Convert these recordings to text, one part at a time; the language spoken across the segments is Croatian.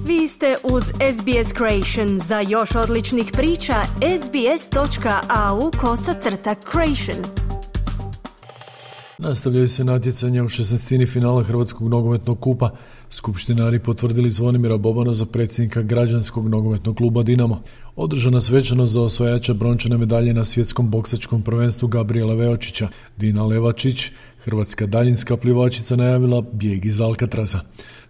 Vi ste uz SBS Creation. Za još odličnih priča, sbs.au/creation. Nastavljaju se natjecanja u 16. finala Hrvatskog nogometnog kupa. Skupštinari potvrdili Zvonimira Bobana za predsjednika građanskog nogometnog kluba Dinamo. Održana svečanost za osvajača brončane medalje na svjetskom boksačkom prvenstvu Gabrijela Veočića. Dina Levačić, hrvatska daljinska plivačica, najavila bijeg iz Alcatraza.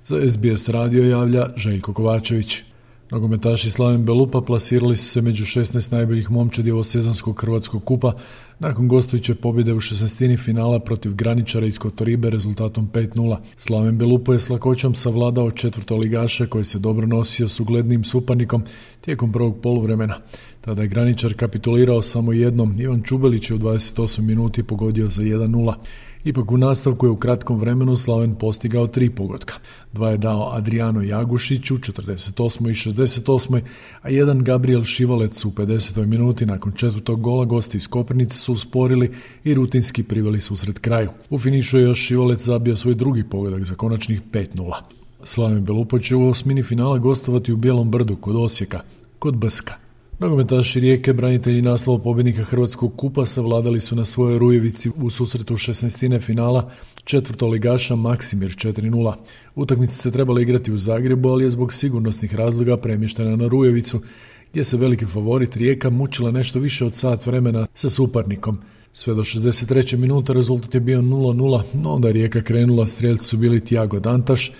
Za SBS radio javlja Željko Kovačević. Nogometaši Slaven Belupa plasirali su se među 16 najboljih momčadi ovosezonskog Hrvatskog kupa nakon gostujuće pobjede u 16. finala protiv Graničara iz Kotoribe rezultatom 5:0. Slaven Belupa je s lakoćom savladao četvrtoligaša koji se dobro nosio s uglednim suparnikom tijekom prvog poluvremena. Tada je Graničar kapitulirao samo jednom. Ivan Čubelić je u 28 minuti pogodio za 1:0. Ipak u nastavku je u kratkom vremenu Slaven postigao 3 pogotka. 2 je dao Adriano Jagušić u 48. i 68. a jedan Gabriel Šivalec u 50. minuti. Nakon četvrtog gola gosti iz Koprivnice su usporili i rutinski priveli susret kraju. U finišu je još Šivalec zabio svoj drugi pogodak za konačnih 5:0. Slaven Belupa će u osmini finala gostovati u Bijelom Brdu kod Osijeka, kod Brska. Nogometaši Rijeke, branitelji naslova pobjednika Hrvatskog kupa, savladali su na svojoj Rujevici u susretu 16. finala četvrtoligaša Maksimir 4:0. Utakmica se trebala igrati u Zagrebu, ali je zbog sigurnosnih razloga premještena na Rujevicu, gdje se veliki favorit Rijeka mučila nešto više od sat vremena sa suparnikom. Sve do 63. minuta rezultat je bio 0:0, no onda Rijeka krenula, strijelci su bili Tiago Dantaš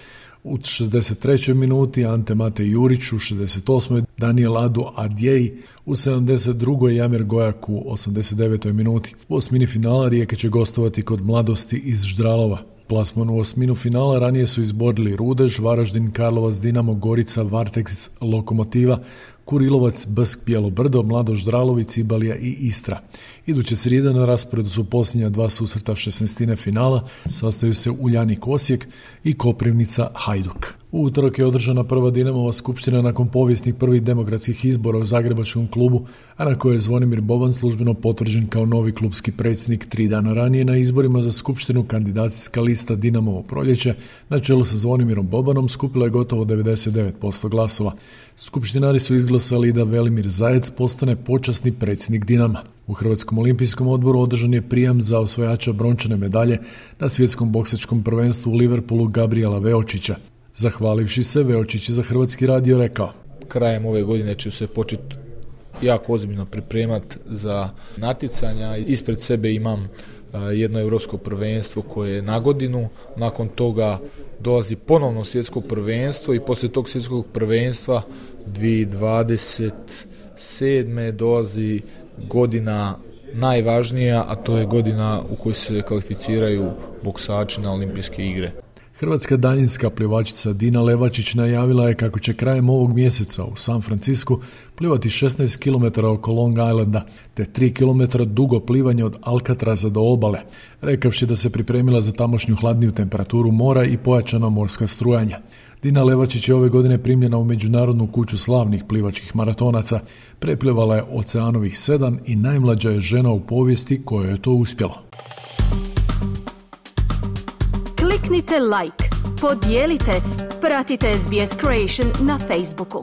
u 63. minuti, Ante Mate Jurić u 68. Daniel Adu Adjej u 72. Jamir Gojak u 89. minuti. U osmini finala Rijeka će gostovati kod Mladosti iz Ždralova. Plasman u osminu finala ranije su izborili Rudež, Varaždin, Karlovac, Dinamo, Gorica, Varteks, Lokomotiva, Kurilovac, Brsk, Bijelo Brdo, Mlado Ždralović, Cibalija i Istra. Iduće srijede na rasporedu su posljednja 2 susreta 16. finala, sastaju se Uljanik Osijek i Koprivnica Hajduk. U utorak je održana prva Dinamova skupština nakon povijesnih prvih demokratskih izbora u zagrebačkom klubu, a na kojoj je Zvonimir Boban službeno potvrđen kao novi klubski predsjednik. 3 dana ranije na izborima za skupštinu kandidacijska lista Dinamovo proljeće na čelu sa Zvonimirom Bobanom skupila je gotovo 99% glasova. Skupštinari su izglasali da Velimir Zajec postane počasni predsjednik Dinama. U Hrvatskom olimpijskom odboru održan je prijam za osvajača brončane medalje na svjetskom boksačkom prvenstvu u Liverpoolu Gabrijela Veočića. Zahvalivši se, Veočić je za Hrvatski radio rekao: krajem ove godine ću se početi jako ozbiljno pripremati za natjecanja. Ispred sebe imam jedno europsko prvenstvo koje je na godinu, nakon toga dolazi ponovno svjetsko prvenstvo i poslije tog svjetskog prvenstva 2027. dolazi godina najvažnija, a to je godina u kojoj se kvalificiraju boksači na olimpijske igre. Hrvatska daljinska plivačica Dina Levačić najavila je kako će krajem ovog mjeseca u San Francisku plivati 16 km oko Long Islanda, te 3 km dugo plivanje od Alcatraza do obale, rekavši da se pripremila za tamošnju hladniju temperaturu mora i pojačana morska strujanja. Dina Levačić je ove godine primljena u Međunarodnu kuću slavnih plivačkih maratonaca, preplivala je Oceanovih 7 i najmlađa je žena u povijesti kojoj je to uspjelo. Kliknite like, podijelite, pratite SBS Creation na Facebooku.